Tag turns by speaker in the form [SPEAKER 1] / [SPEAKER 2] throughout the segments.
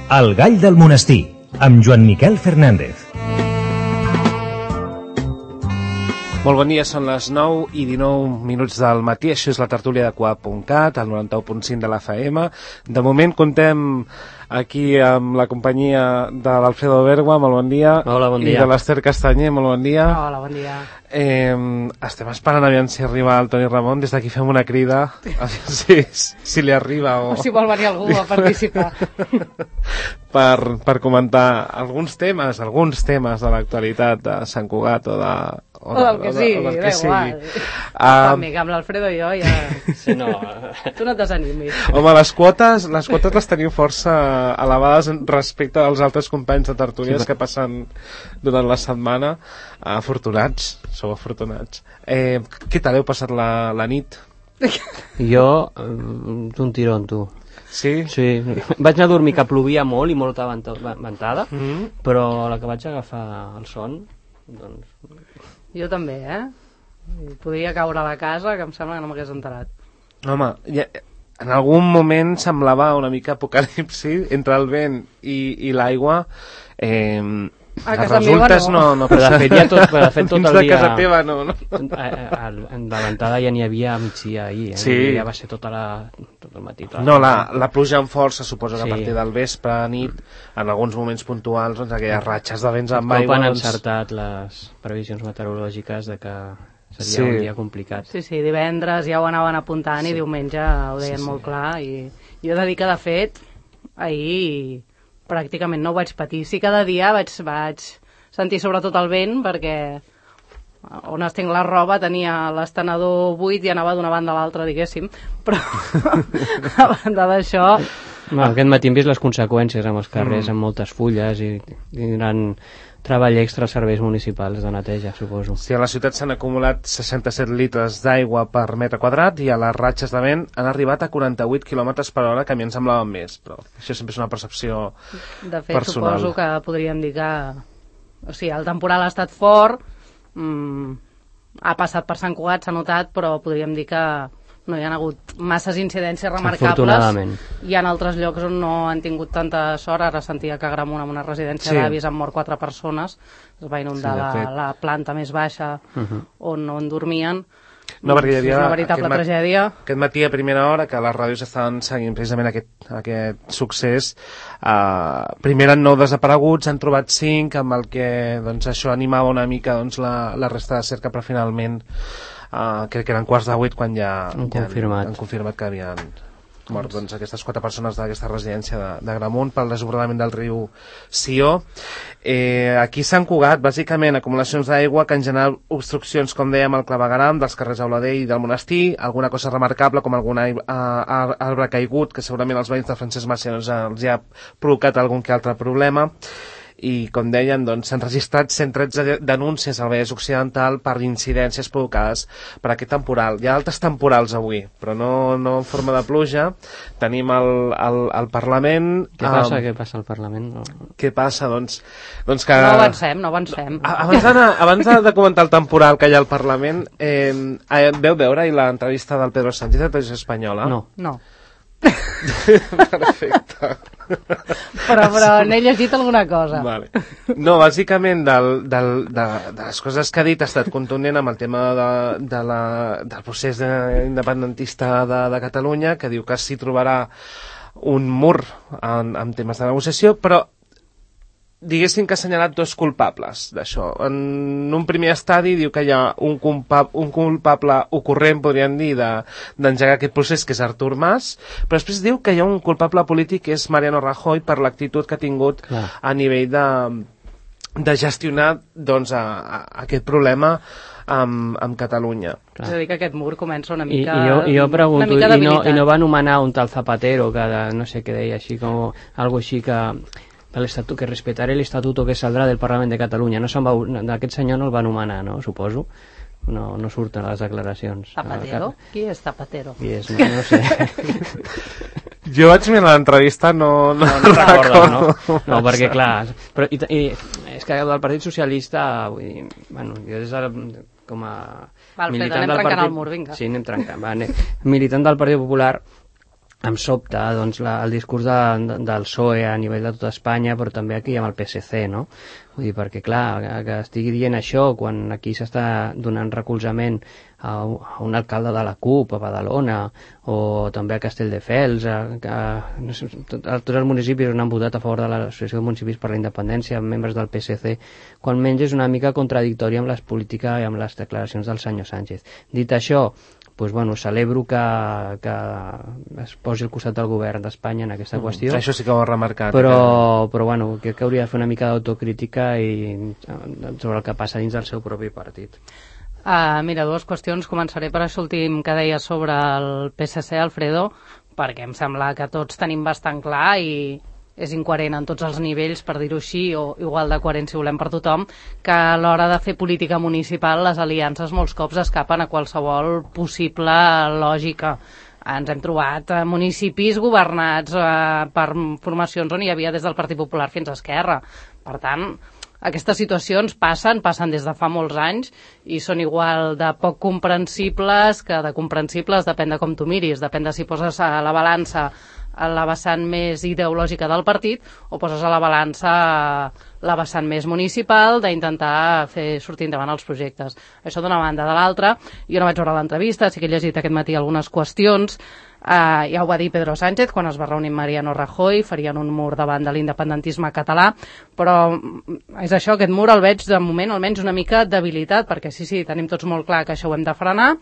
[SPEAKER 1] El gall del monestir, amb Joan Miquel Fernández.
[SPEAKER 2] Molt bon dia, són les 9:19 del matí, això és la tertúlia de Coap.cat, al 91.5 de la FM. De moment contem aquí amb la companyia de l'Alfredo Bergua, molt bon dia.
[SPEAKER 3] Hola, bon dia.
[SPEAKER 2] I de l'Ester Castanyer, molt bon dia.
[SPEAKER 4] Hola, bon dia.
[SPEAKER 2] Estem esperant aviam si arriba el Toni Ramon, des d'aquí fem una crida, si li arriba
[SPEAKER 4] o si vol venir algú a participar.
[SPEAKER 2] per comentar alguns temes de l'actualitat de Sant Cugat o
[SPEAKER 4] del que sigui. També, que amb l'Alfredo i jo ja...
[SPEAKER 3] Sí, no.
[SPEAKER 4] Tu no et desanimis.
[SPEAKER 2] Home, les quotes les teniu força elevades respecte als altres companys de tertúlies que passen durant la setmana. Afortunats, sou afortunats. Què tal heu passat la nit?
[SPEAKER 3] Jo, un tirón, tu.
[SPEAKER 2] Sí?
[SPEAKER 3] Sí. Vaig anar a dormir que plovia molt i molta ventada, però a la que vaig agafar el son, doncs...
[SPEAKER 4] Jo també, Podria caure a la casa, que em sembla que no m'hagués enterat.
[SPEAKER 2] Home, en algun moment semblava una mica apocalipsi entre el vent i l'aigua.
[SPEAKER 4] A casa meva
[SPEAKER 2] no.
[SPEAKER 3] Però de fet ja tot el dia...
[SPEAKER 2] de casa teva no.
[SPEAKER 3] En la ventada ja n'hi havia a migdia ahir,
[SPEAKER 2] sí.
[SPEAKER 3] Ja va ser tot el matí.
[SPEAKER 2] No, la pluja amb força, suposo que a partir del vespre, a nit, en alguns moments puntuals, doncs aquelles ratxes de vents amb aigua...
[SPEAKER 3] Han encertat les previsions meteorològiques de que seria un dia complicat.
[SPEAKER 4] Sí, divendres ja ho anaven apuntant i diumenge ho deien molt clar, i jo he de dir que, de fet, ahir... pràcticament no ho vaig patir. Sí, cada dia vaig sentir sobretot el vent, perquè on estenc la roba tenia l'estenedor buit i anava d'una banda a l'altra, diguéssim, però a banda d'això...
[SPEAKER 3] Aquest matí hem vist les conseqüències amb els carrers, amb moltes fulles i gran treball extra als serveis municipals de neteja, suposo.
[SPEAKER 2] Sí, a la ciutat s'han acumulat 67 litres d'aigua per metre quadrat i a les ratxes de vent han arribat a 48 km/h, que a mi em semblaven més, però això sempre és una percepció personal.
[SPEAKER 4] De fet, suposo que podríem dir que... O sigui, el temporal ha estat fort, ha passat per Sant Cugat, s'ha notat, però podríem dir que no hi ha hagut masses incidències remarcables. Hi ha altres llocs on no han tingut tanta sort. Ara sentia que a Gramunt, en una residència d'avis, han mort 4 persones. Es va inundar la planta més baixa on dormien.
[SPEAKER 2] No, perquè hi havia
[SPEAKER 4] una veritable tragèdia.
[SPEAKER 2] Aquest matí a primera hora, que les ràdios estaven seguint precisament aquest succés, primer eren 9 desapareguts, han trobat 5, amb el que doncs, això animava una mica doncs, la resta de cerca, però finalment crec que eren 7:15 quan ja han confirmat que havien mort doncs, aquestes 4 persones d'aquesta residència de Gramunt pel desbordament del riu Sió. Aquí a Sant Cugat, bàsicament, acumulacions d'aigua que en general obstruccions, com dèiem, al clavegueram dels carrers Auladell i del Monestir, alguna cosa remarcable com algun arbre caigut, que segurament als veïns de Francesc Macià els ha provocat algun que altre problema. I, com deien, doncs, s'han registrat 113 denúncies al Vallès Occidental per incidències provocades per aquest temporal. Hi ha altres temporals avui, però no en forma de pluja. Tenim el Parlament...
[SPEAKER 3] Què passa al Parlament?
[SPEAKER 2] Què passa? Doncs que...
[SPEAKER 4] No avancem.
[SPEAKER 2] Abans de comentar el temporal que hi ha al Parlament, veu veure l'entrevista del Pedro Sánchez de Televisió Espanyola?
[SPEAKER 4] No.
[SPEAKER 2] Perfecte.
[SPEAKER 4] Però n'he llegit alguna cosa.
[SPEAKER 2] Vale. No, bàsicament de les coses que ha dit ha estat contundent amb el tema del procés independentista de Catalunya, que diu que s'hi trobarà un mur en temes de negociació, però diguéssim que ha assenyalat 2 culpables d'això. En un primer estadi diu que hi ha un culpable ocorrent, podríem dir, d'engegar aquest procés, que és Artur Mas, però després diu que hi ha un culpable polític, que és Mariano Rajoy, per l'actitud que ha tingut a nivell de gestionar doncs, aquest problema amb Catalunya.
[SPEAKER 4] És a dir, que aquest mur comença una mica...
[SPEAKER 3] I jo pregunto, i no va anomenar un tal Zapatero, que no sé què deia, així com algo així que respetaré el estatuto que saldrà del Parlament de Catalunya. Aquest senyor no el va anomenar, no? Suposo. No surten les declaracions.
[SPEAKER 4] Zapatero? Qui és Zapatero?
[SPEAKER 3] Qui és? No sé.
[SPEAKER 2] Jo vaig mirar l'entrevista, no
[SPEAKER 3] recordo. No, perquè clar... I és que del Partit Socialista, vull dir, bueno, jo des de... com a
[SPEAKER 4] militant del Partit... Anem trencant el mur, vinga.
[SPEAKER 3] Sí, anem trencant. Militant del Partit Popular, em sobta doncs, el discurs del PSOE a nivell de tota Espanya, però també aquí amb el PSC, no? Vull dir, perquè clar, que estigui dient això quan aquí s'està donant recolzament a un alcalde de la CUP a Badalona o també a Castelldefels, tots els municipis on han votat a favor de l'Associació de Municipis per la Independència, membres del PSC, quan menys és una mica contradictòria amb les polítiques i amb les declaracions del senyor Sánchez. Dit això, doncs, bueno, celebro que es posi al costat del govern d'Espanya en aquesta qüestió.
[SPEAKER 2] Això sí que ho ha remarcat.
[SPEAKER 3] Però bueno, crec que hauria de fer una mica d'autocrítica i sobre el que passa dins del seu propi partit.
[SPEAKER 4] Mira, dues qüestions. Començaré per això últim que deia sobre el PSC, Alfredo, perquè em sembla que tots tenim bastant clar i és incoherent en tots els nivells, per dir-ho així, o igual de coherent si volem per tothom, que a l'hora de fer política municipal les aliances molts cops escapen a qualsevol possible lògica. Ens hem trobat municipis governats per formacions on hi havia des del Partit Popular fins a Esquerra. Per tant, aquestes situacions passen des de fa molts anys i són igual de poc comprensibles que de comprensibles, depèn de com tu miris, depèn de si poses a la balança a la vessant més ideològica del partit o poses a la balança la vessant més municipal d'intentar fer sortir endavant els projectes. Això d'una banda. De l'altra, jo no vaig veure l'entrevista, sí que he llegit aquest matí algunes qüestions. Ja ho va dir Pedro Sánchez quan es va reunir amb Mariano Rajoy, farien un mur davant de l'independentisme català, però és això, aquest mur el veig de moment almenys una mica debilitat, perquè sí, tenim tots molt clar que això ho hem de frenar,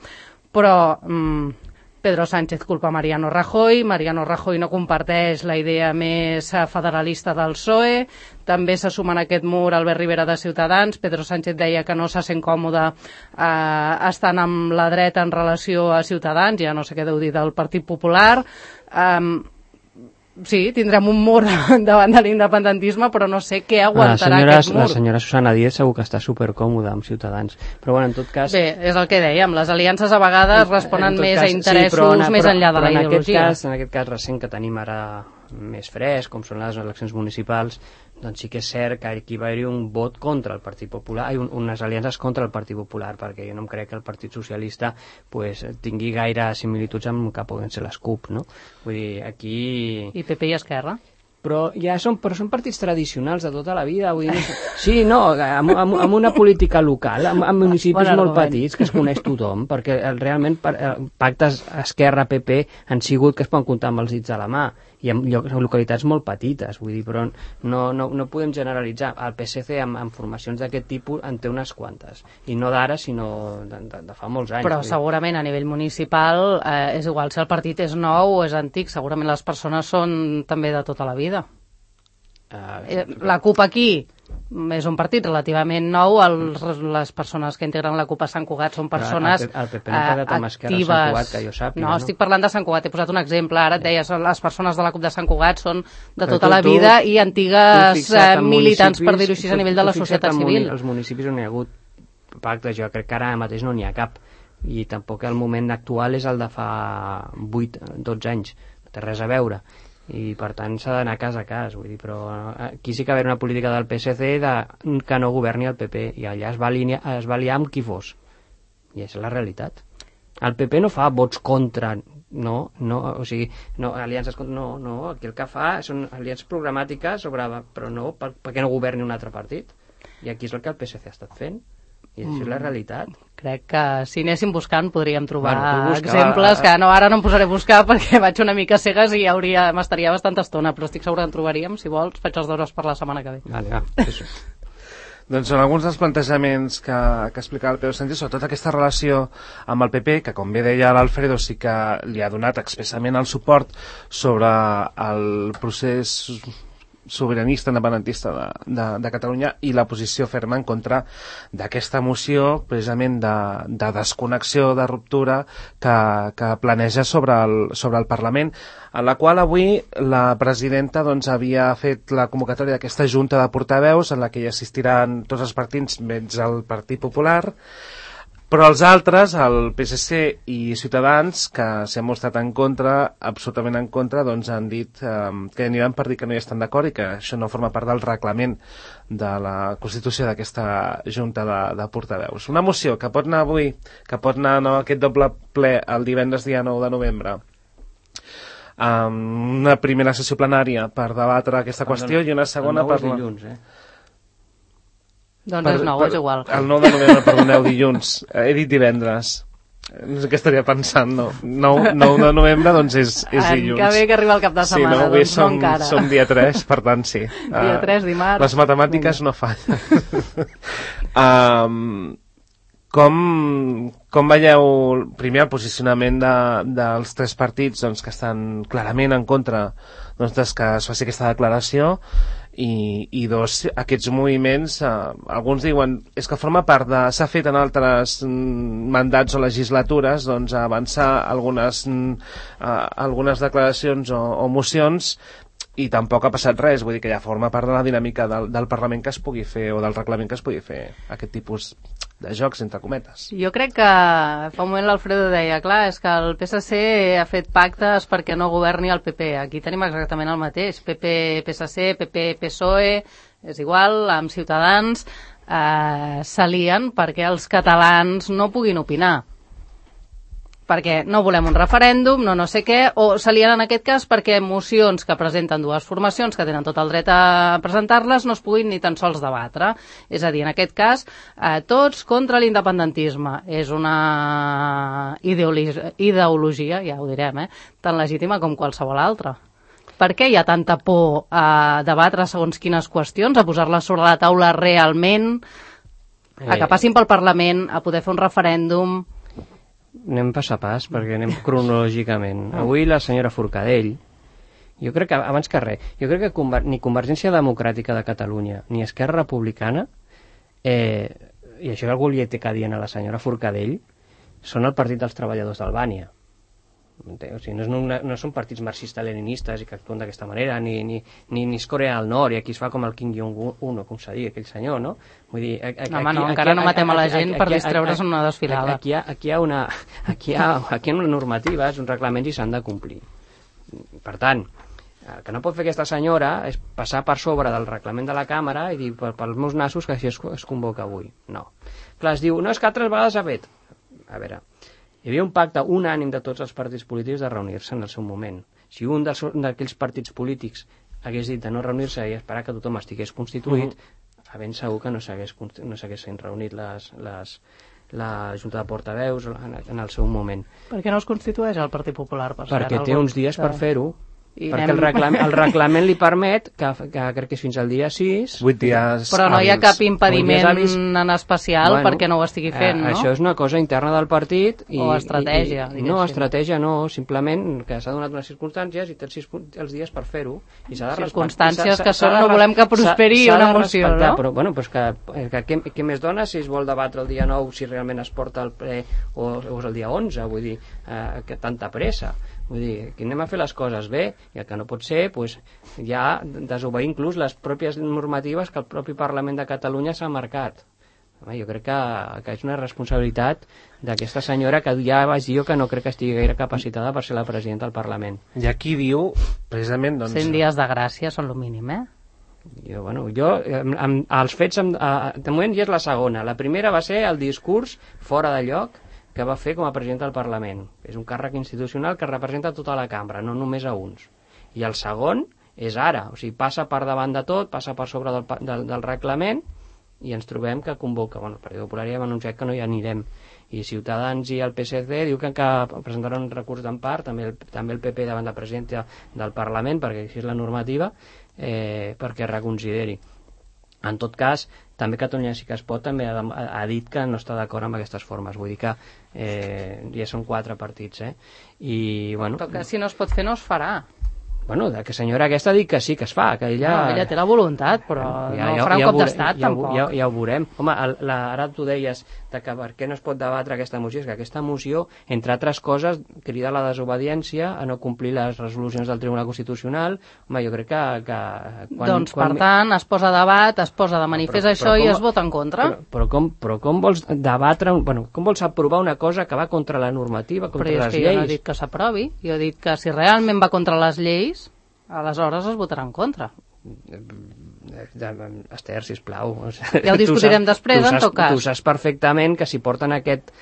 [SPEAKER 4] però Pedro Sánchez culpa Mariano Rajoy no comparteix la idea més federalista del PSOE, també se suma en aquest mur Albert Rivera de Ciutadans. Pedro Sánchez deia que no se sent còmode estant amb la dreta en relació a Ciutadans, ja no sé què deu dir del Partit Popular. Sí, tindrem un mur davant de l'independentisme, però no sé què aguantarà aquest mur.
[SPEAKER 3] La senyora Susana Díez segur que està supercòmoda amb Ciutadans, però bueno, en tot cas...
[SPEAKER 4] Bé, és el que dèiem, les aliances a vegades responen més a interessos més enllà de la ideologia.
[SPEAKER 3] En aquest cas recent que tenim ara més fresc, com són les eleccions municipals, doncs sí que és cert que aquí va haver-hi un vot contra el Partit Popular, unes aliances contra el Partit Popular, perquè jo no em crec que el Partit Socialista tingui gaire similituds amb que poden ser les CUP, no? Vull dir, aquí...
[SPEAKER 4] I PP i Esquerra?
[SPEAKER 3] Però són partits tradicionals de tota la vida, vull dir, sí, no, amb una política local, amb municipis molt petits que es coneix tothom, perquè realment pactes Esquerra-PP han sigut que es poden comptar amb els dits a la mà, i en localitats molt petites, vull dir, però no podem generalitzar. El PSC amb formacions d'aquest tipus en té unes quantes, i no d'ara, sinó de fa molts anys.
[SPEAKER 4] Però segurament a nivell municipal és igual si el partit és nou o és antic, segurament les persones són també de tota la vida. La CUP aquí és un partit relativament nou, les persones que integren la CUP a Sant Cugat són persones actives. No, estic parlant de Sant Cugat, he posat un exemple, ara et deies, les persones de la CUP de Sant Cugat són de tota la vida i antigues militants, per dir-ho així, a nivell de la societat civil.
[SPEAKER 3] Els municipis on hi ha hagut pactes, jo crec que ara mateix no n'hi ha cap, i tampoc el moment actual és el de fa 8-12 anys, no té res a veure, i per tant s'ha d'anar cas a cas, vull dir, però aquí sí que va haver una política del PSC que no governi el PP, i allà es va aliar amb qui fos, i és la realitat. El PP no fa vots contra, o sigui, aliances contra, no, aquí el que fa són aliances programàtiques però no perquè no governi un altre partit, i aquí és el que el PSC ha estat fent, i això és la realitat.
[SPEAKER 4] Crec que si anéssim buscant podríem trobar exemples que ara no em posaré a buscar perquè vaig una mica cegues i m'estaria bastanta estona, però estic segura que en trobaríem. Si vols, faig els deures per la setmana que ve.
[SPEAKER 3] Vale,
[SPEAKER 2] Doncs són alguns dels plantejaments que explicava el Pedro Sánchez, sobretot aquesta relació amb el PP, que com bé deia l'Alfredo sí que li ha donat expressament el suport sobre el procés sobiranista independentista de Catalunya, i la posició ferma en contra d'aquesta moció precisament de desconnexió, de ruptura que planeja sobre el Parlament, en la qual avui la presidenta havia fet la convocatòria d'aquesta junta de portaveus en la que hi assistiran tots els partits menys el Partit Popular, però els altres, el PSC i Ciutadans, que s'hi han mostrat en contra, absolutament en contra, han dit que aniran per dir que no hi estan d'acord i que això no forma part del reglament de la constitució d'aquesta junta de portaveus. Una moció que pot anar avui, que pot anar aquest doble ple el divendres dia 9 de novembre, una primera sessió plenària per debatre aquesta qüestió i una segona per...
[SPEAKER 3] dilluns,
[SPEAKER 4] Doncs és 9, és igual.
[SPEAKER 2] El 9 de novembre, perdoneu, dilluns. He dit divendres. No sé què estaria pensant, no. 9 de novembre, doncs és dilluns.
[SPEAKER 4] Que bé que arriba el cap de setmana,
[SPEAKER 2] sí,
[SPEAKER 4] doncs no encara.
[SPEAKER 2] Som dia 3, per tant, sí.
[SPEAKER 4] Dia 3, dimarts.
[SPEAKER 2] Les matemàtiques no fallen. Com veieu, primer, el posicionament dels tres partits doncs, que estan clarament en contra doncs, que es faci aquesta declaració, i dos, aquests moviments, alguns diuen és que forma part de... s'ha fet en altres mandats o legislatures doncs, avançar algunes declaracions o mocions i tampoc ha passat res, vull dir que ja forma part de la dinàmica del Parlament que es pugui fer o del reglament que es pugui fer aquest tipus de jocs, entre cometes.
[SPEAKER 4] Jo crec que fa un moment l'Alfredo deia, clar, és que el PSC ha fet pactes perquè no governi el PP. Aquí tenim exactament el mateix. PP-PSC, PP-PSOE, és igual, amb Ciutadans, s'alien perquè els catalans no puguin opinar. Perquè no volem un referèndum, no sé què, o s'alien en aquest cas perquè mocions que presenten dues formacions que tenen tot el dret a presentar-les no es puguin ni tan sols debatre. És a dir, en aquest cas, tots contra l'independentisme. És una ideologia, ja ho direm, tan legítima com qualsevol altra. Per què hi ha tanta por a debatre segons quines qüestions, a posar-les sobre la taula realment, a que passin pel Parlament, a poder fer un referèndum...
[SPEAKER 3] Anem pas a pas, perquè anem cronològicament. Avui la senyora Forcadell, jo crec que, abans que res, jo crec que ni Convergència Democràtica de Catalunya ni Esquerra Republicana, i això algú li té que dir a la senyora Forcadell, són el Partit dels Treballadors d'Albània. O sigui, no són partits marxistes-leninistes i que actuen d'aquesta manera, ni és Corea del Nord, i aquí es fa com el Kim Jong-un, com s'ha dit, aquell senyor, no? Vull dir,
[SPEAKER 4] encara no matem a la gent per distreure's en una desfilada.
[SPEAKER 3] Aquí hi ha una normativa, és un reglament i s'han de complir. Per tant, el que no pot fer aquesta senyora és passar per sobre del reglament de la Càmera i dir pels meus nassos que així es convoca avui. No. Clar, es diu, no, és que altres vegades ha fet. A veure... Hi havia un pacte unànim de tots els partits polítics de reunir-se en el seu moment. Si un d'aquells partits polítics hagués dit de no reunir-se i esperar que tothom estigués constituït, ben segur que no s'haguessin reunit la Junta de Portaveus en el seu moment.
[SPEAKER 4] Per què no es constitueix el Partit Popular?
[SPEAKER 3] Perquè té uns dies per fer-ho. Perquè el reglament li permet que crec que és fins al dia 6
[SPEAKER 2] 8 dies
[SPEAKER 4] però no hi ha cap impediment en especial perquè no ho estigui fent, no?
[SPEAKER 3] Això és una cosa interna del partit
[SPEAKER 4] o estratègia,
[SPEAKER 3] no, estratègia no, simplement que s'ha donat unes circumstàncies i té els dies per fer-ho i s'ha de
[SPEAKER 4] circumstàncies que són no volem que prosperi una moció, no?
[SPEAKER 3] Però bueno, pues què més dona si es vol debatre el dia 9 si realment es porta el ple o és el dia 11, vull dir que tanta pressa. Vull dir, que anem a fer les coses bé i el que no pot ser, doncs, ja desobeir inclús les pròpies normatives que el propi Parlament de Catalunya s'ha marcat. Home, jo crec que és una responsabilitat d'aquesta senyora que ja vaig dir que no crec que estigui gaire capacitada per ser la presidenta del Parlament.
[SPEAKER 2] I aquí diu, precisament... Doncs...
[SPEAKER 4] 100 dies de gràcia són el mínim,
[SPEAKER 3] els fets, de moment ja és la segona. La primera va ser el discurs fora de lloc que va fer com a president del Parlament. És un càrrec institucional que representa tota la cambra, no només a uns. I el segon és ara, o sigui, passa per davant de tot, passa per sobre del reglament i ens trobem que convoca. Bueno, el Partit Popular ja hem anunciat que no hi anirem. I Ciutadans i el PSC diu que presentaran un recurs d'empart, també el PP davant la presidenta del Parlament, perquè així és la normativa, perquè reconsideri. En tot cas, també Catalunya sí que es pot també ha dit que no està d'acord amb aquestes formes. Vull dir que ja són 4 partits. I, bueno,
[SPEAKER 4] però que si no es pot fer no es farà.
[SPEAKER 3] Bueno, que senyora aquesta ha dit que sí que es fa, que ella...
[SPEAKER 4] No, ella té la voluntat, però no farà un cop d'estat, tampoc.
[SPEAKER 3] Ja ho veurem. Home, ara tu deies que per què no es pot debatre aquesta moció? És que aquesta moció, entre altres coses, crida la desobediència a no complir les resolucions del Tribunal Constitucional. Home, jo crec que
[SPEAKER 4] doncs, per tant, es posa a debat, es posa de manifest això i es vota en contra.
[SPEAKER 3] Però com vols debatre... Bueno, com vols aprovar una cosa que va contra la normativa, contra les lleis?
[SPEAKER 4] Però és que jo no he dit que s'aprovi. Jo he dit que si realment va contra les lleis, aleshores es votarà en contra.
[SPEAKER 3] Esther, sisplau.
[SPEAKER 4] Ja ho discutirem després, en tot cas.
[SPEAKER 3] Tu saps perfectament que si porten aquest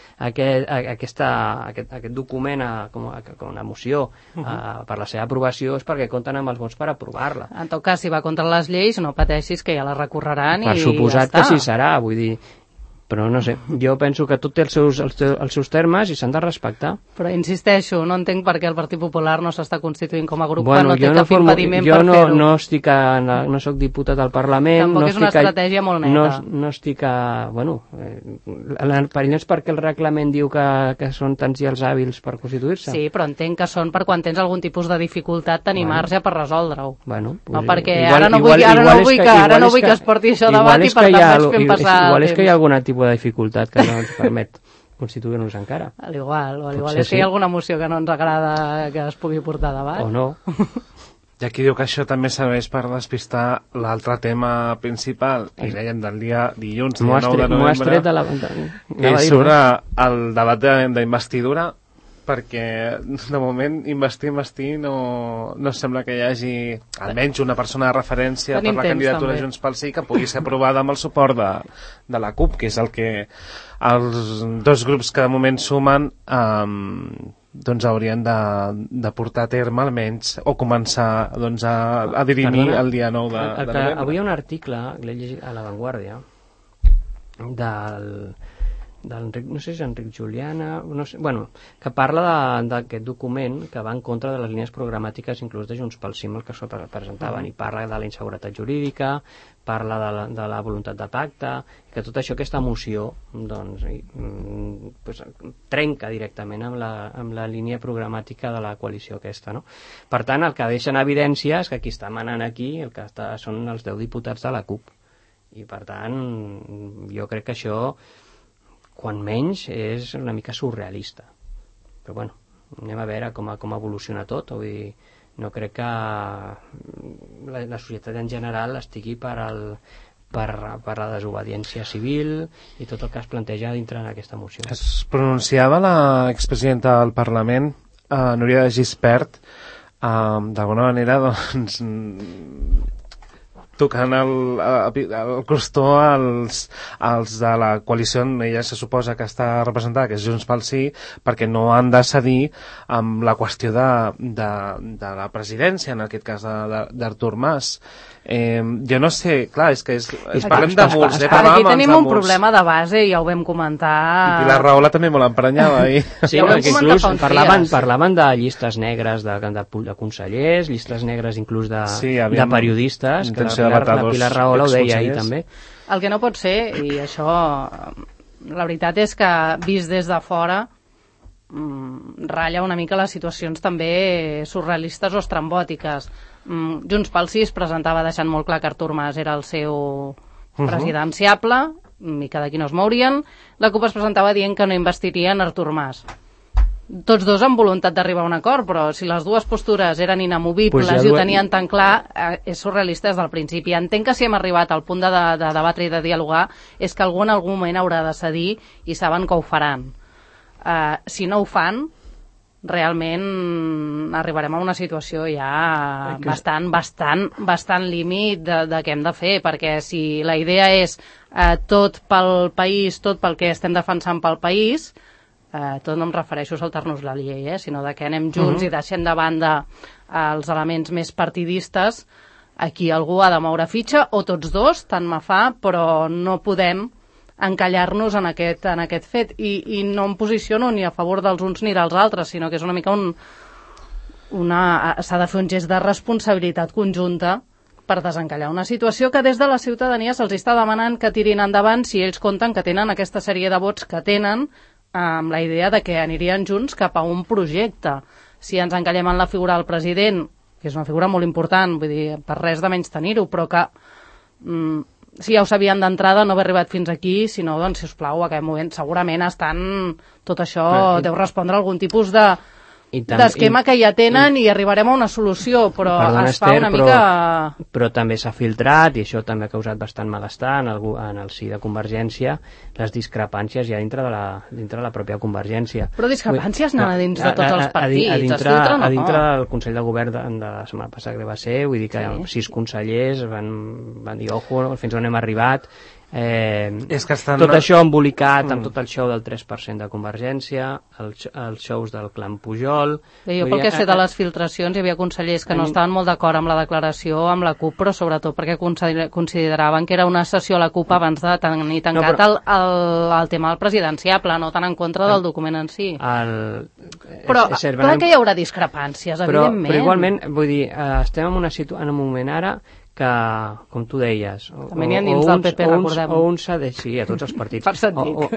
[SPEAKER 3] document com una moció per la seva aprovació és perquè compten amb els vots per aprovar-la.
[SPEAKER 4] En tot cas, si va contra les lleis, no pateixis que ja la recorreran i ja està.
[SPEAKER 3] Per suposat que sí serà, vull dir... Però no sé, jo penso que tot té els seus termes i s'han de respectar.
[SPEAKER 4] Però insisteixo, no entenc per què el Partit Popular no s'està constituint com a grup quan no té cap impediment per fer-ho.
[SPEAKER 3] Jo no soc diputat al Parlament.
[SPEAKER 4] Tampoc és una estratègia molt neta.
[SPEAKER 3] No estic a... Bueno, perillós perquè el reglament diu que són tants i els hàbils per constituir-se.
[SPEAKER 4] Sí, però entenc que són per quan tens algun tipus de dificultat tenir marge per resoldre-ho.
[SPEAKER 3] Bueno,
[SPEAKER 4] no, perquè ara no vull que es porti això a debat i per tant vaig fent passar el
[SPEAKER 3] temps. Igual és que hi ha alguna tipus de dificultat que no ens permet constituir-nos encara.
[SPEAKER 4] Al igual és que hi ha alguna moció que no ens agrada que es pugui portar a debat.
[SPEAKER 3] O no.
[SPEAKER 2] I aquí diu que això també serveix per despistar l'altre tema principal, que dèiem del dia dilluns, dia 9 de novembre, que és sobre el debat d'investidura, perquè de moment investir no sembla que hi hagi almenys una persona de referència per la candidatura Junts pel Sí que pugui ser aprovada amb el suport de la CUP, que és el que els dos grups que de moment sumen doncs haurien de portar a terme almenys o començar doncs, a dirimir el dia 9 de novembre.
[SPEAKER 3] Avui hi ha un article que l'he llegit a La Vanguardia no sé si és Enric Juliana, no sé, bueno, que parla d'aquest document que va en contra de les línies programàtiques inclús de Junts pel Sí, el que presentaven, i parla de la inseguretat jurídica, parla de la voluntat de pacte, que tot això, aquesta moció, doncs, trenca directament amb la línia programàtica de la coalició aquesta, no? Per tant, el que deixa en evidència és que qui està manant aquí són els 10 diputats de la CUP, i per tant, jo crec que això quan menys és una mica surrealista, però bueno, anem a veure com evoluciona tot. Vull dir, no crec que la societat en general estigui per la desobediència civil i tot el que es planteja dintre d'aquesta moció.
[SPEAKER 2] Es pronunciava l'expresidenta del Parlament, Núria de Gispert, d'alguna manera doncs tocant el crostó als de la coalició on ella se suposa que està representada, que és Junts pel Sí, perquè no han de cedir amb la qüestió de la presidència, en aquest cas d'Artur Mas. Jo no sé, clar, és que parlem de murs,
[SPEAKER 4] aquí tenim un problema de base, ja ho vam comentar.
[SPEAKER 2] I Pilar Rahola també molt emprenyava ahir.
[SPEAKER 3] Sí, perquè inclús parlaven de llistes negres de consellers, llistes negres inclús de periodistes, que la Pilar Rahola ho deia ahir també.
[SPEAKER 4] El que no pot ser, i això la veritat és que vist des de fora ratlla una mica les situacions també surrealistes o estrambòtiques. Junts pel Sí es presentava deixant molt clar que Artur Mas era el seu presidenciable i que d'aquí no es mourien. La CUP es presentava dient que no investirien Artur Mas. Tots dos amb voluntat d'arribar a un acord, però si les dues postures eren inamovibles i ho tenien tan clar, és surrealista des del principi. Entenc que si hem arribat al punt de debatre i de dialogar és que algú en algun moment haurà de cedir i saben que ho faran. Si no ho fan, realment arribarem a una situació ja bastant límit de què hem de fer, perquè si la idea és tot pel país, tot pel que estem defensant pel país, tot no em refereixo a saltar-nos la llei, sinó que anem junts i deixem de banda els elements més partidistes. Aquí algú ha de moure fitxa, o tots dos, tant me fa, però no podem encallar-nos en aquest fet, i no em posiciono ni a favor dels uns ni dels altres, sinó que és una mica s'ha de fer un gest de responsabilitat conjunta per desencallar una situació que des de la ciutadania se'ls està demanant que tirin endavant si ells compten que tenen aquesta sèrie de vots que tenen, amb la idea de que anirien junts cap a un projecte. Si ens encallem en la figura del president, que és una figura molt important, vull dir, per res de menys tenir-ho, però que si ja ho sabien d'entrada, no haver arribat fins aquí, sinó, doncs, sisplau, a aquest moment segurament tot això deu respondre a algun tipus de d'esquema que ja tenen i arribarem a una solució, però es fa una mica...
[SPEAKER 3] Però també s'ha filtrat, i això també ha causat bastant malestar en el si de Convergència, les discrepàncies ja dintre de la pròpia Convergència.
[SPEAKER 4] Però discrepàncies anant a dins de tots els partits, es filtren o no?
[SPEAKER 3] A dintre del Consell de Govern de la setmana passada que va ser, vull dir que 6 consellers van dir, ojo, fins on hem arribat. Tot això embolicat amb tot el show del 3% de Convergència, els shows del clan Pujol...
[SPEAKER 4] Jo pel que sé de les filtracions hi havia consellers que no estaven molt d'acord amb la declaració amb la CUP, però sobretot perquè consideraven que era una sessió a la CUP abans de tenir tancat el tema del presidenciable, no tant en contra del document en si. Però clar que hi haurà discrepàncies, evidentment.
[SPEAKER 3] Però igualment, vull dir, estem en un moment ara que, com tu deies,
[SPEAKER 4] també n'hi ha dins del PP, recordem.
[SPEAKER 3] O uns cedeixen, sí, a tots els partits,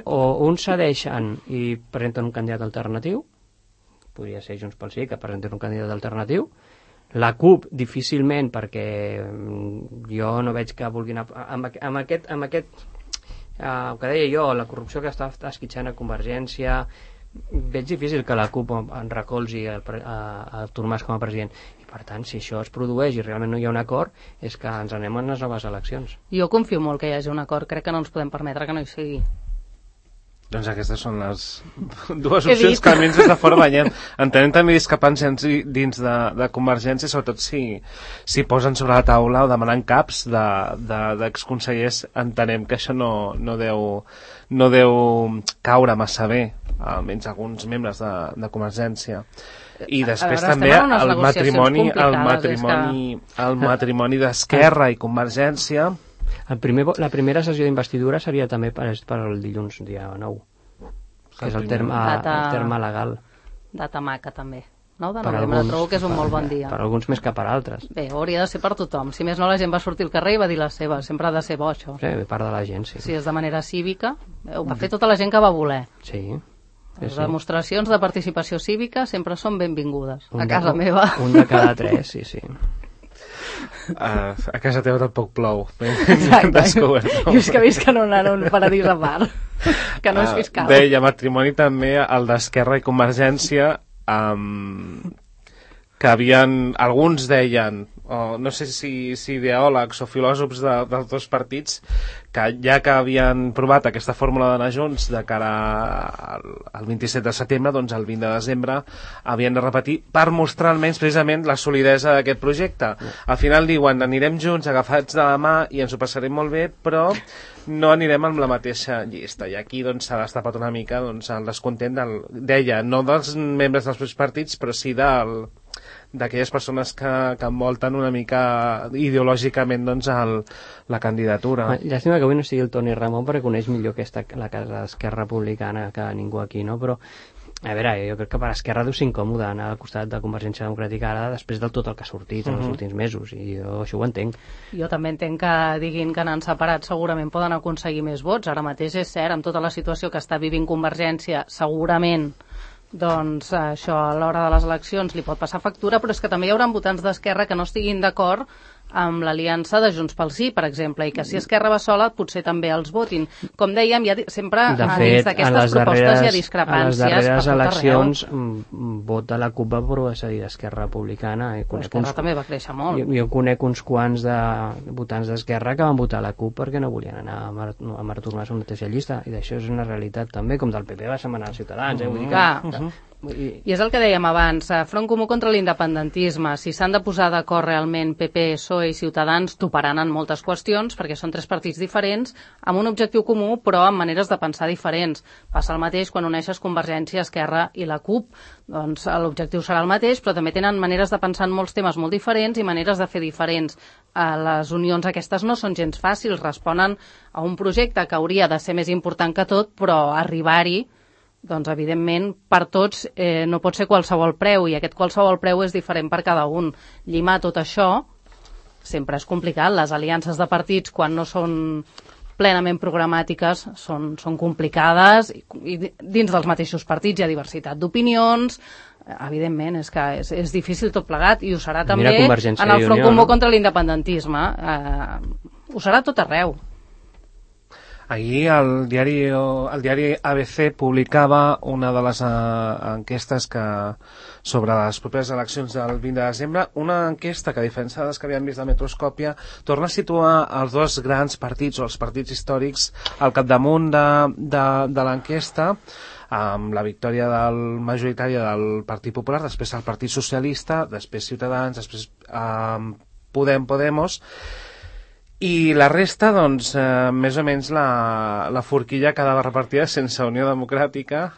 [SPEAKER 3] o uns cedeixen i presenten un candidat alternatiu, podria ser Junts pel Sí, que presenten un candidat alternatiu, la CUP difícilment, perquè jo no veig que vulguin... Amb aquest el que deia jo, la corrupció que està esquitxant a Convergència, veig difícil que la CUP en recolzi a Artur Mas com a president. I per tant, si això es produeix i realment no hi ha un acord, és que ens anem a unes noves eleccions.
[SPEAKER 4] Jo confio molt que hi hagi un acord, crec que no ens podem permetre que no hi sigui.
[SPEAKER 2] Doncs aquestes són les dues opcions que almenys des de fora veiem. Entenem també discrepàncies dins de Convergència, sobretot si posen sobre la taula o demanen caps d'exconsellers, entenem que això no deu caure massa bé, almenys alguns membres de Convergència. I després també el matrimoni d'Esquerra i Convergència.
[SPEAKER 3] La primera sessió d'investidura seria també per el dilluns, dia 9, que és el terme legal.
[SPEAKER 4] Data maca, també. 9 de novembre, trobo que és un molt bon dia.
[SPEAKER 3] Per alguns més que per altres.
[SPEAKER 4] Bé, hauria de ser per tothom. Si més no, la gent va sortir al carrer i va dir la seva. Sempre ha de ser bo, això.
[SPEAKER 3] Sí, part de la gent, sí.
[SPEAKER 4] Si és de manera cívica, ho va fer tota la gent que va voler.
[SPEAKER 3] Sí.
[SPEAKER 4] Les demostracions de participació cívica sempre són benvingudes. A casa meva.
[SPEAKER 3] Un de cada 3, sí.
[SPEAKER 2] A casa teva tampoc plou.
[SPEAKER 4] Exacte. Jo és que visc en un paradís a part, que no és fiscal.
[SPEAKER 2] Bé, i a matrimoni també el d'Esquerra i Convergència, que alguns deien, no sé si ideòlegs o filòsofs dels dos partits, que ja que havien provat aquesta fórmula d'anar junts de cara al 27 de setembre, doncs el 20 de desembre havien de repetir per mostrar almenys precisament la solidesa d'aquest projecte. Al final diuen, anirem junts agafats de la mà i ens ho passarem molt bé, però no anirem amb la mateixa llista. I aquí doncs s'ha destapat una mica el descontent deia, no dels membres dels partits, però sí d'aquelles persones que envolten una mica ideològicament la candidatura.
[SPEAKER 3] Llàstima que avui no sigui el Toni Ramon, perquè coneix millor la casa d'Esquerra Republicana que ningú aquí, no? Però a veure, jo crec que per Esquerra deu ser incòmode anar al costat de Convergència Democràtica ara després del tot el que ha sortit en els últims mesos, i jo això ho entenc.
[SPEAKER 4] Jo també entenc que diguin que anant separats segurament poden aconseguir més vots. Ara mateix és cert, amb tota la situació que està vivint Convergència, segurament doncs això a l'hora de les eleccions li pot passar factura, però és que també hi haurà votants d'Esquerra que no estiguin d'acord amb l'aliança de Junts pel Sí, per exemple, i que si Esquerra va sola potser també els votin. Com dèiem, sempre dins d'aquestes propostes hi ha discrepàncies.
[SPEAKER 3] A les darreres eleccions vot de la CUP va procedir d'Esquerra Republicana.
[SPEAKER 4] Però Esquerra també va créixer molt.
[SPEAKER 3] Jo conec uns quants de votants d'Esquerra que van votar la CUP perquè no volien anar amb Artur Mas a una mateixa llista, i d'això és una realitat també, com del PP va setmanar als Ciutadans. Vull dir que...
[SPEAKER 4] I és el que dèiem abans, Front Comú contra l'independentisme. Si s'han de posar d'acord realment PP, PSOE i Ciutadans, toparan en moltes qüestions, perquè són 3 partits diferents, amb un objectiu comú, però amb maneres de pensar diferents. Passa el mateix quan uneixes Convergència, Esquerra i la CUP. Doncs l'objectiu serà el mateix, però també tenen maneres de pensar en molts temes molt diferents i maneres de fer diferents. Les unions aquestes no són gens fàcils, responen a un projecte que hauria de ser més important que tot, però arribar-hi, doncs evidentment per tots no pot ser qualsevol preu, i aquest qualsevol preu és diferent per cada un. Llimar tot això sempre és complicat. Les aliances de partits, quan no són plenament programàtiques, són complicades, i dins dels mateixos partits hi ha diversitat d'opinions. Evidentment, és que és difícil tot plegat, i ho serà també en el Front Comú contra l'independentisme. Ho serà tot arreu.
[SPEAKER 2] Ahir el diari ABC publicava una de les enquestes sobre les properes eleccions del 20 de desembre, una enquesta que, a diferència de les que havíem vist de Metroscòpia, torna a situar els dos grans partits o els partits històrics al capdamunt de l'enquesta, amb la victòria majoritària del Partit Popular, després el Partit Socialista, després Ciutadans, després Podemos, i la resta, doncs, més o menys la forquilla quedava repartida sense Unió Democràtica.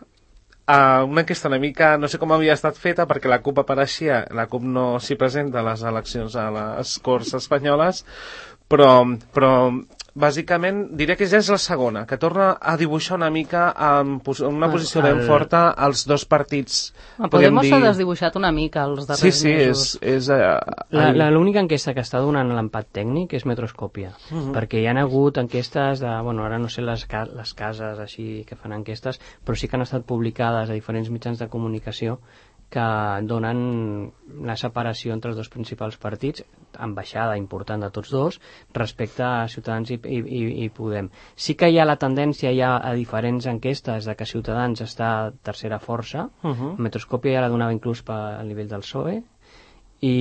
[SPEAKER 2] Una enquesta una mica, no sé com havia estat feta, perquè la CUP apareixia, la CUP no s'hi presenta a les eleccions a les Corts espanyoles, però bàsicament diré que ja és la segona, que torna a dibuixar una mica en una posició ben forta als dos partits.
[SPEAKER 4] Podemos s'ha desdibuixat una mica els darrers mesos.
[SPEAKER 2] És
[SPEAKER 3] l'única enquesta que està donant l'empat tècnic és Metroscòpia, perquè hi ha hagut enquestes de, ara no sé les cases així que fan enquestes, però sí que han estat publicades a diferents mitjans de comunicació que donen la separació entre els dos principals partits, amb baixada important de tots dos, respecte a Ciutadans i Podem. Sí que hi ha la tendència ja a diferents enquestes de que Ciutadans està tercera força, Metroscòpia ja la donava inclús al nivell del PSOE, i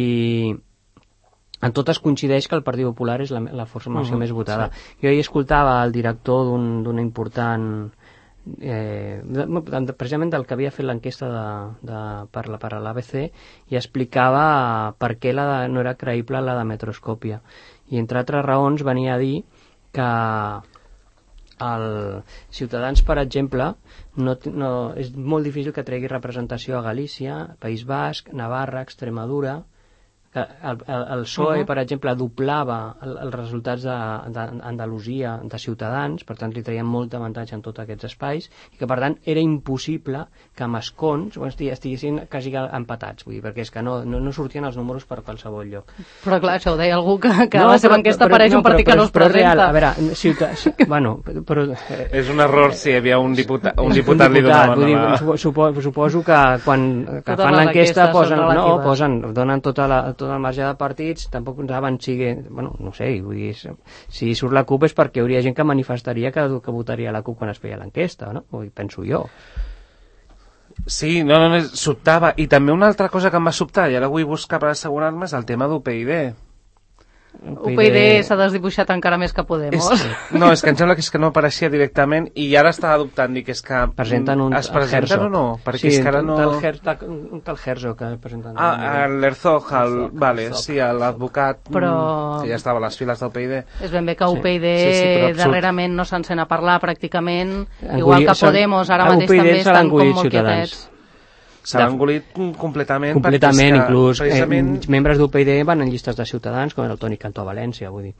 [SPEAKER 3] en totes coincideix que el Partit Popular és la formació més votada. Jo hi escoltava el director d'una important... precisament del que havia fet l'enquesta per a l'ABC, i explicava per què no era creïble la de Metroscòpia, i entre altres raons venia a dir que el Ciutadans, per exemple, és molt difícil que tregui representació a Galícia, País Basc, Navarra, Extremadura. El PSOE, per exemple, doblava els resultats d'Andalusia de Ciutadans, per tant li traien molt d'avantatge en tots aquests espais, i que per tant era impossible que amb escons estiguessin quasi empatats, vull dir, perquè és que no sortien els números per qualsevol lloc.
[SPEAKER 4] Però clar, això ho deia algú que a la seva enquesta apareix un partit que no es presenta.
[SPEAKER 3] A veure,
[SPEAKER 2] és un error si hi havia un diputat li donaven
[SPEAKER 3] suposo que quan fan l'enquesta donen tota el marge de partits, tampoc saben no sé, vull dir, si surt la CUP és perquè hi hauria gent que manifestaria que votaria la CUP quan es feia l'enquesta, no? Penso jo.
[SPEAKER 2] Sí, no, sobtava. I també una altra cosa que em va sobtar, i ara vull buscar per assegurar-me, és el tema d'UPyD.
[SPEAKER 4] UPyD s'ha desdibuixat encara més que Podemos.
[SPEAKER 2] És que em sembla que no apareixia directament, i ara estava dubtant, dic, és que es presenten o no? Perquè és que ara no...
[SPEAKER 3] un tal Herzog que presenten.
[SPEAKER 2] L'Herzog, sí, l'advocat que ja estava a les files d'UPyD.
[SPEAKER 4] És ben bé que UPyD darrerament no se'n sent a parlar pràcticament, igual que Podemos ara mateix també estan com molt quietets.
[SPEAKER 2] S'ha engolit completament.
[SPEAKER 3] Completament, inclús membres d'UPyD van en llistes de Ciutadans, com era el Toni Cantó a València, vull dir.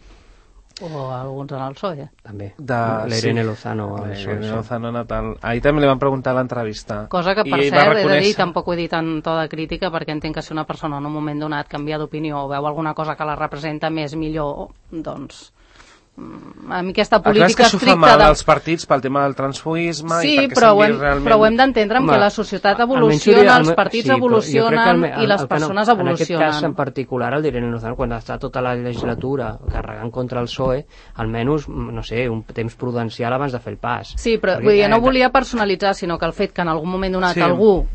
[SPEAKER 4] O alguns en el PSOE.
[SPEAKER 3] També. L'Irene Lozano.
[SPEAKER 2] L'Irene Lozano natal. Ahir també li van preguntar a l'entrevista.
[SPEAKER 4] Cosa que, per cert, he de dir, tampoc ho he dit en to de crítica, perquè entenc que si una persona en un moment donat canvia d'opinió o veu alguna cosa que la representa més millor, doncs... a mi aquesta política
[SPEAKER 2] estricta... Clar, és que això fa mal als partits pel tema del transfugisme...
[SPEAKER 4] Sí, però ho hem d'entendre que la societat evoluciona, els partits evolucionen i les persones evolucionen.
[SPEAKER 3] En aquest cas en particular, el Irene Lozano, quan està tota la legislatura carregant contra el PSOE, almenys, no sé, un temps prudencial abans de fer el pas.
[SPEAKER 4] Sí, però vull dir, no volia personalitzar, sinó que el fet que en algun moment donat algú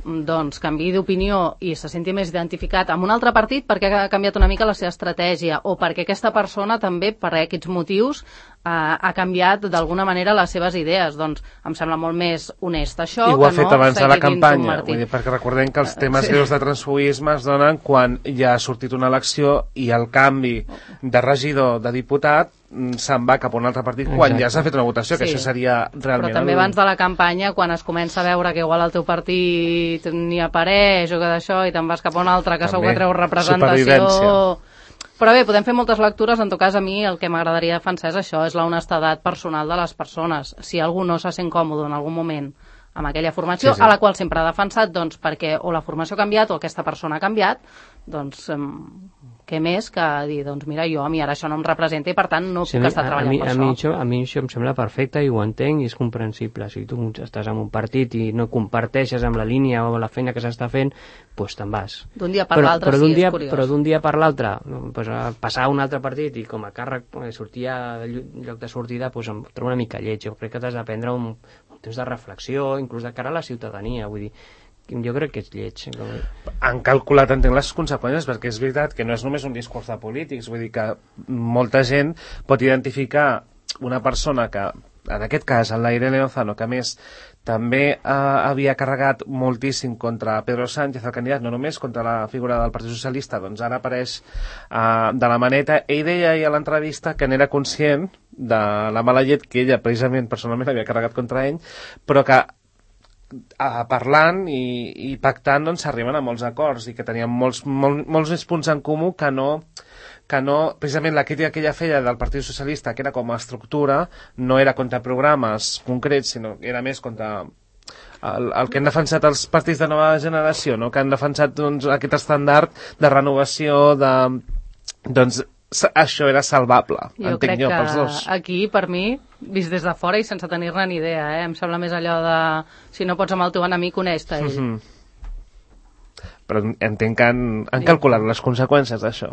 [SPEAKER 4] canviï d'opinió i se senti més identificat amb un altre partit perquè ha canviat una mica la seva estratègia, o perquè aquesta persona també, per aquests motius, ha canviat d'alguna manera les seves idees, doncs em sembla molt més honest això.
[SPEAKER 2] I ho ha fet abans de la campanya, vull dir, perquè recordem que els temes greus de transfugisme es donen quan ja ha sortit una elecció i el canvi de regidor, de diputat, se'n va cap a un altre partit quan ja s'ha fet una votació, que això seria realment...
[SPEAKER 4] Però també abans de la campanya, quan es comença a veure que igual el teu partit ni apareix o que d'això i te'n vas cap a un altre que segur que treu representació... Però bé, podem fer moltes lectures, en tot cas a mi el que m'agradaria defensar és això, és la honestedat personal de les persones. Si algú no se sent còmode en algun moment amb aquella formació, a la qual sempre ha defensat, doncs perquè o la formació ha canviat o aquesta persona ha canviat, doncs què més que dir, doncs mira, a mi ara això no em representa i per tant no puc estar treballant per això.
[SPEAKER 3] A mi això em sembla perfecte i ho entenc i és comprensible. Si tu estàs en un partit i no comparteixes amb la línia o la feina que s'està fent, doncs te'n vas.
[SPEAKER 4] D'un dia per l'altre sí, és curiós.
[SPEAKER 3] Però d'un dia per l'altre, passar a un altre partit i com a càrrec sortir a lloc de sortida, doncs em trobo una mica lleig. Jo crec que t'has de prendre un temps de reflexió, inclús de cara a la ciutadania, vull dir, jo crec que és lleig.
[SPEAKER 2] Han calculat, entenc, les conseqüències, perquè és veritat que no és només un discurs de polítics, vull dir que molta gent pot identificar una persona que, en aquest cas, en Irene Lozano, que a més també havia carregat moltíssim contra Pedro Sánchez, el candidat, no només contra la figura del Partit Socialista, doncs ara apareix de la maneta. Ell deia ahir a l'entrevista que n'era conscient de la mala llet que ella, precisament, personalment, havia carregat contra ell, però que parlant i pactant doncs s'arriben a molts acords i que tenien molts més punts en comú que no precisament la crítica que ella feia del Partit Socialista, que era com a estructura, no era contra programes concrets, sinó era més contra el que han defensat els partits de nova generació, no? Que han defensat doncs, aquest estàndard de renovació doncs això era salvable, entenc jo, pels dos.
[SPEAKER 4] Aquí, per mi, vist des de fora i sense tenir-ne ni idea, em sembla més allò de si no pots amb el teu enemic, coneix-te ell.
[SPEAKER 2] Però entenc que han calculat les conseqüències d'això.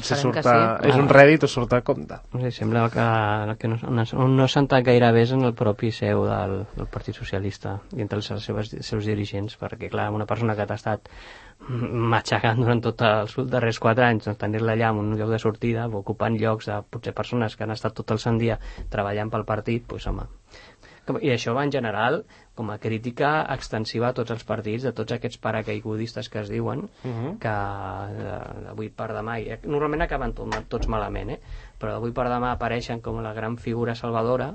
[SPEAKER 4] Si sí.
[SPEAKER 2] És un rèdit o surt a compte.
[SPEAKER 3] Sembla que no s'ha entrat gaire bé en el propi seu del Partit Socialista i entre els seus dirigents, perquè clar, una persona que t'ha estat matxacant durant tots els darrers 4 anys, doncs tenir-la allà en un lloc de sortida, ocupant llocs de potser persones que han estat tot el sant dia treballant pel partit, doncs home. I això va en general com a crítica extensiva a tots els partits, de tots aquests paracaigudistes que es diuen, que d'avui per demà, normalment acaben tots malament, però d'avui per demà apareixen com la gran figura salvadora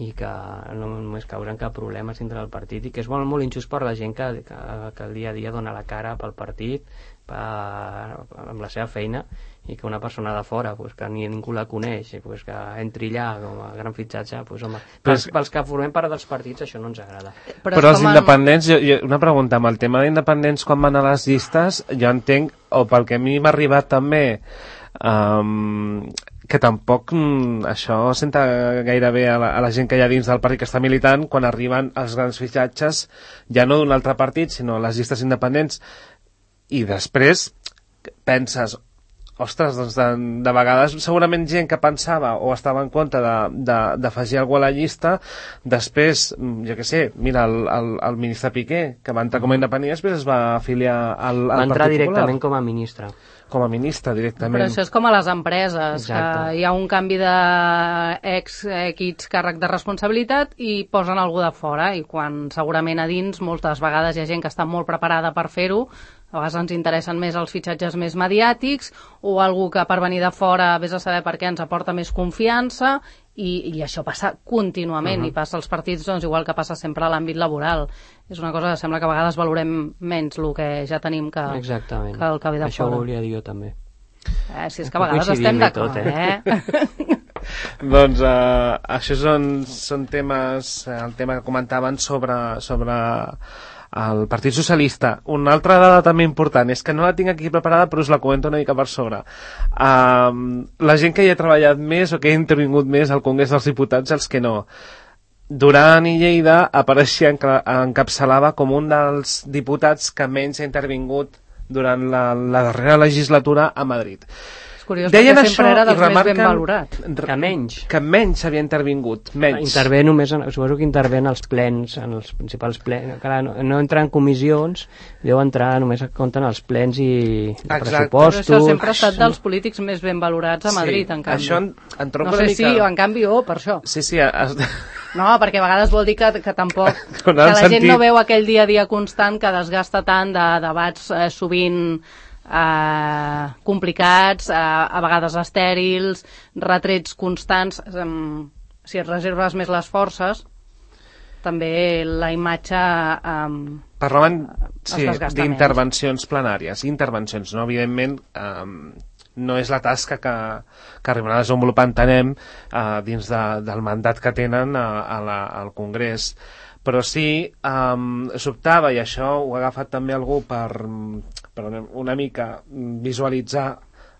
[SPEAKER 3] i que no només causen cap problema dintre del partit i que és molt injust per la gent que el dia a dia dona la cara pel partit, amb la seva feina, i que una persona de fora que ningú la coneix que entri allà com a gran fitxatge, home, pels que formem part dels partits això no ens agrada.
[SPEAKER 2] Però els independents, una pregunta, amb el tema d'independents quan van a les llistes, jo entenc, o pel que a mi m'ha arribat també, que tampoc això senta gaire bé a la gent que hi ha dins del partit que està militant quan arriben els grans fitxatges ja no d'un altre partit sinó a les llistes independents i després penses ostres, doncs de vegades segurament gent que pensava o estava en compte d'afegir algú a la llista, després, jo què sé, mira, el ministre Piqué, que va entrar com a independent, després es va afiliar al Partit Popular.
[SPEAKER 3] Va entrar directament com a ministre.
[SPEAKER 2] Com a ministre, directament.
[SPEAKER 4] Però això és com a les empreses, que hi ha un canvi d'ex càrrec de responsabilitat i posen algú de fora, i quan segurament a dins moltes vegades hi ha gent que està molt preparada per fer-ho, a vegades ens interessen més els fitxatges més mediàtics o algú que per venir de fora vés a saber per què ens aporta més confiança i això passa contínuament i passa als partits doncs, igual que passa sempre a l'àmbit laboral. És una cosa que sembla que a vegades valorem menys el que ja tenim que el que ve de fora.
[SPEAKER 3] Això ho volia dir jo també.
[SPEAKER 4] Si és que a vegades estem d'acord,
[SPEAKER 2] Doncs això són temes, el tema que comentaven sobre el Partit Socialista. Una altra dada també important és que no la tinc aquí preparada però us la comento una mica per sobre. La gent que hi ha treballat més o que ha intervingut més al Congrés dels Diputats, els que no, Duran i Lleida encapçalava com un dels diputats que menys ha intervingut durant la darrera legislatura a Madrid.
[SPEAKER 4] És curiós, perquè sempre era dels més ben valorats.
[SPEAKER 3] Que menys
[SPEAKER 2] havia intervingut, menys.
[SPEAKER 3] Intervé només, suposo que intervé en els plens, en els principals plens. Clar, no entra en comissions, deu entrar, només compten els plens i pressupostos.
[SPEAKER 4] Però això sempre ha estat dels polítics més ben valorats a Madrid, en canvi.
[SPEAKER 2] Això
[SPEAKER 4] no sé si, en canvi, per això.
[SPEAKER 2] Sí.
[SPEAKER 4] No, perquè a vegades vol dir que tampoc que la gent no veu aquell dia a dia constant que desgasta tant de debats sovint complicats, a vegades estèrils, retrets constants. Si et reserves més les forces, també la imatge
[SPEAKER 2] parlaven d'intervencions plenàries, no, evidentment no és la tasca que arribarà a desenvolupar, entenem, dins del mandat que tenen al Congrés, però sí sobtava, i això ho ha agafat també algú per una mica visualitzar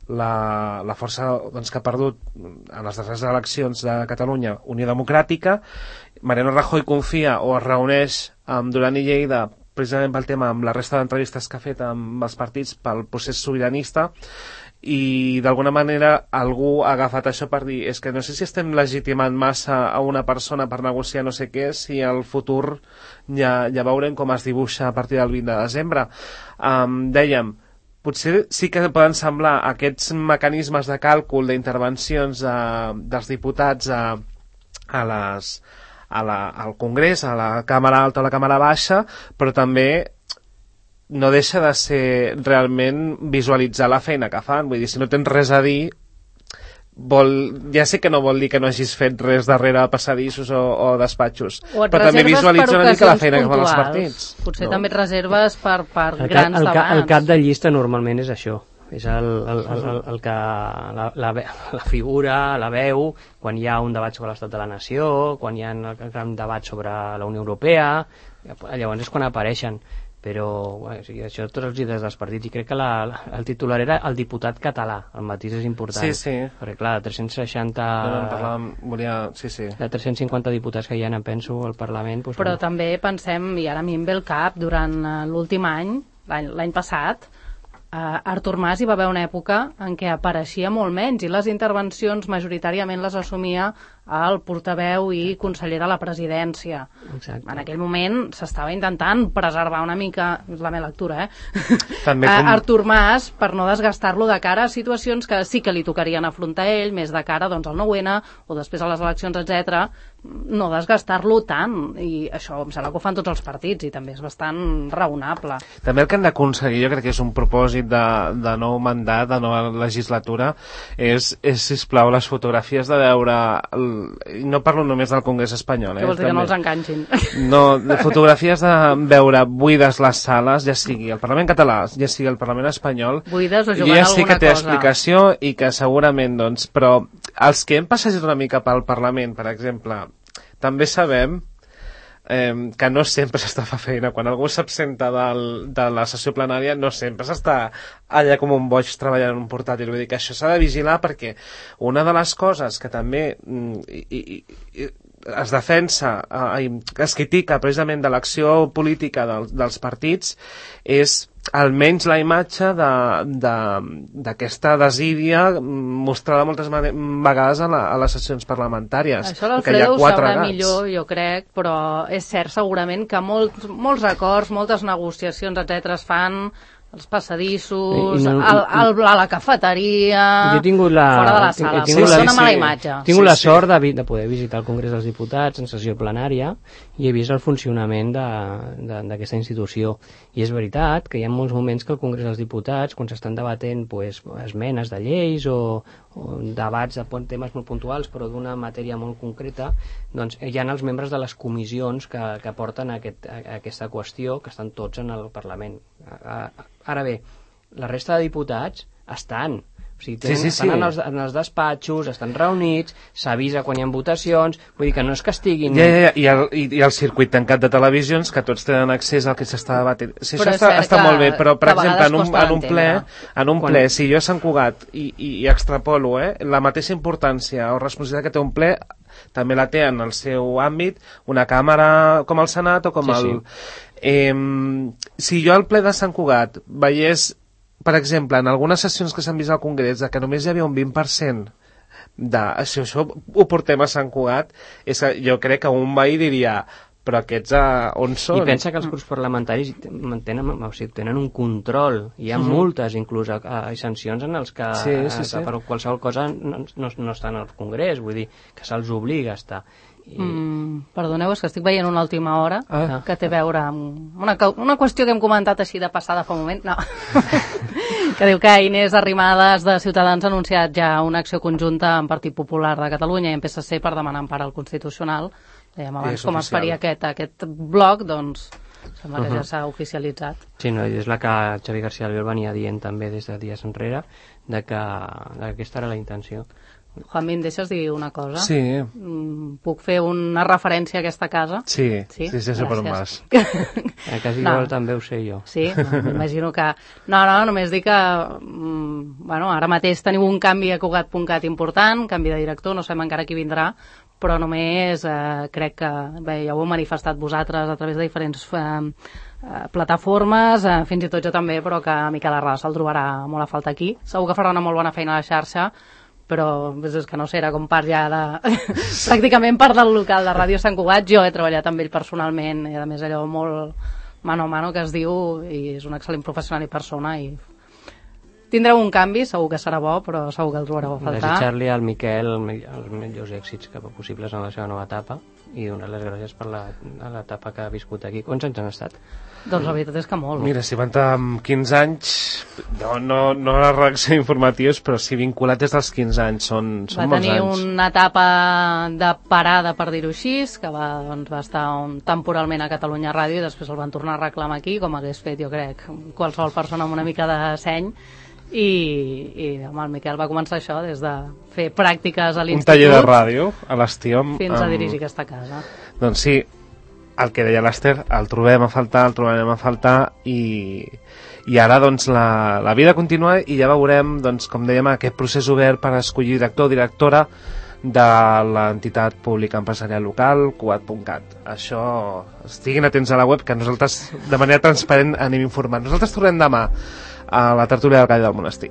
[SPEAKER 2] la força que ha perdut en les darreres eleccions de Catalunya, Unió Democràtica. Mariano Rajoy confia o es reuneix amb Duran i Lleida precisament pel tema, amb la resta d'entrevistes que ha fet amb els partits pel procés sobiranista, i d'alguna manera algú ha agafat això per dir és que no sé si estem legitimant massa a una persona per negociar no sé què, si el futur ja veurem com es dibuixa a partir del 20 de desembre. Dèiem, potser sí que poden semblar aquests mecanismes de càlcul d'intervencions dels diputats al Congrés, a la Càmera Alta o la Càmera Baixa, però també no deixa de ser realment visualitzar la feina que fan. Vull dir, si no tens res a dir, ja sé que no vol dir que no hagis fet res darrere passadissos o despatxos, però també visualitza una mica la feina que fan els partits.
[SPEAKER 4] Potser també et reserves per grans debats.
[SPEAKER 3] El cap de llista normalment és això, és el que la figura, la veu, quan hi ha un debat sobre l'estat de la nació, quan hi ha un gran debat sobre la Unió Europea, llavors és quan apareixen. Però això tots els líders dels partits, i crec que el titular era el diputat català, el matís és important.
[SPEAKER 2] Sí.
[SPEAKER 3] Perquè clar, de 350 diputats que hi ha, en penso, al Parlament... Doncs,
[SPEAKER 4] però també pensem, i ara a mi em ve el cap, durant l'últim any, l'any passat, Artur Mas hi va haver una època en què apareixia molt menys i les intervencions majoritàriament les assumia el portaveu i conseller de la presidència.
[SPEAKER 3] Exacte.
[SPEAKER 4] En aquell moment s'estava intentant preservar una mica, és la meva lectura,
[SPEAKER 2] també
[SPEAKER 4] Artur Mas, per no desgastar-lo de cara a situacions que sí que li tocarien afrontar ell, més de cara doncs, al 9-N o després a les eleccions, etc. No desgastar-lo tant, i això em sembla que ho fan tots els partits i també és bastant raonable.
[SPEAKER 2] També el que han d'aconseguir, jo crec que és un propòsit de nou mandat, de nova legislatura, és sisplau, les fotografies de veure no parlo només del Congrés espanyol.
[SPEAKER 4] Que vols dir que no els enganxin?
[SPEAKER 2] No, de fotografies de veure buides les sales, ja sigui el Parlament català, ja sigui el Parlament espanyol.
[SPEAKER 4] Buides o jugant
[SPEAKER 2] ja sé que té
[SPEAKER 4] alguna cosa.
[SPEAKER 2] Explicació i que segurament, doncs, però els que hem passejat una mica pel Parlament, per exemple, també sabem que no sempre s'està fent feina. Quan algú s'absenta de la sessió plenària no sempre s'està allà com un boig treballant en un portàtil. Vull dir que això s'ha de vigilar, perquè una de les coses que també es defensa, es critica precisament de l'acció política dels partits, és almenys la imatge d'aquesta desídia mostrada moltes vegades a les sessions parlamentàries.
[SPEAKER 4] Això l'Alfredo ho sabrà millor, jo crec, però és cert segurament que molts acords, moltes negociacions, etc. es fan als passadissos, a la cafeteria, fora de la sala.
[SPEAKER 3] Tinc
[SPEAKER 4] una mala imatge.
[SPEAKER 3] Tinc la sort de poder visitar el Congrés dels Diputats en sessió plenària i he vist el funcionament d'aquesta institució. I és veritat que hi ha molts moments que el Congrés dels Diputats, quan s'estan debatent esmenes de lleis o debats de temes molt puntuals però d'una matèria molt concreta, doncs hi ha els membres de les comissions que porten aquesta qüestió, que estan tots en el Parlament. Ara bé, la resta de diputats estan estan en els despatxos, estan reunits, s'avisa quan hi ha votacions, vull dir que no és que estiguin...
[SPEAKER 2] I el circuit tancat de televisions, que tots tenen accés al que s'està debatent. Si això està molt bé, però per exemple en un ple, si jo a Sant Cugat i extrapolo la mateixa importància o responsabilitat que té un ple, també la té en el seu àmbit una càmera com el Senat o com el... Si jo al ple de Sant Cugat veiés, per exemple, en algunes sessions que s'han vist al Congrés, que només hi havia un 20% això ho portem a Sant Cugat, és que jo crec que un veí diria, però aquests on són?
[SPEAKER 3] I pensa que els grups parlamentaris tenen un control, hi ha multes inclús i sancions en els que per qualsevol cosa no estan al Congrés, vull dir que se'ls obliga a estar.
[SPEAKER 4] Perdoneu, és que estic veient una última hora que té a veure amb una qüestió que hem comentat així de passada fa un moment, que diu que Inés Arrimadas de Ciutadans ha anunciat ja una acció conjunta amb Partit Popular de Catalunya i amb PSC per demanar empara al Constitucional. Dèiem abans com es faria aquest bloc, doncs sembla que ja s'ha oficialitzat.
[SPEAKER 3] Sí, és la que Xavi García Albiol venia dient també des de dies enrere, que aquesta era la intenció.
[SPEAKER 4] Juanmi, em deixes dir una cosa?
[SPEAKER 2] Sí.
[SPEAKER 4] Puc fer una referència a aquesta casa?
[SPEAKER 2] Sí, per un mas.
[SPEAKER 3] Quasi igual també ho sé jo.
[SPEAKER 4] Sí, m'imagino que... No, només dic que ara mateix tenim un canvi a Cugat.cat important, canvi de director, no sabem encara qui vindrà, però només crec que, ja ho heu manifestat vosaltres a través de diferents plataformes, fins i tot jo també, però que Miquel Arràs se'l trobarà molt a falta aquí. Segur que farà una molt bona feina a la xarxa, però és que no sé, era com part ja de... pràcticament part del local de Ràdio Sant Cugat. Jo he treballat amb ell personalment, i a més allò molt mano a mano que es diu, i és un excel·lent professional i persona, i tindreu un canvi, segur que serà bo, però segur que el trobareu a faltar.
[SPEAKER 3] Desitjar-li al Miquel els millors èxits possibles en la seva nova etapa i donar les gràcies per l'etapa que ha viscut aquí. Quants anys han estat?
[SPEAKER 4] Doncs la veritat és que molt.
[SPEAKER 2] Mira, si van amb 15 anys, no a la redacció informatius, però sí vinculat des dels 15 anys, són molts anys.
[SPEAKER 4] Va tenir una etapa de parada, per dir-ho així, que va estar temporalment a Catalunya Ràdio i després el van tornar a reclamar aquí, com hagués fet, jo crec, qualsevol persona amb una mica de seny. I amb el Miquel va començar això des de fer pràctiques a l'institut,
[SPEAKER 2] un taller de ràdio a l'estiu
[SPEAKER 4] fins a dirigir aquesta casa.
[SPEAKER 2] Doncs sí, el que deia l'Ester, el trobarem a faltar i ara doncs la vida continua i ja veurem, doncs, com dèiem, aquest procés obert per escollir director o directora de l'entitat pública empresarial local, Cugat.cat. Això, estiguin atents a la web, que nosaltres de manera transparent anem informant. Nosaltres tornem demà a la tertúlia del Gall del Monestir.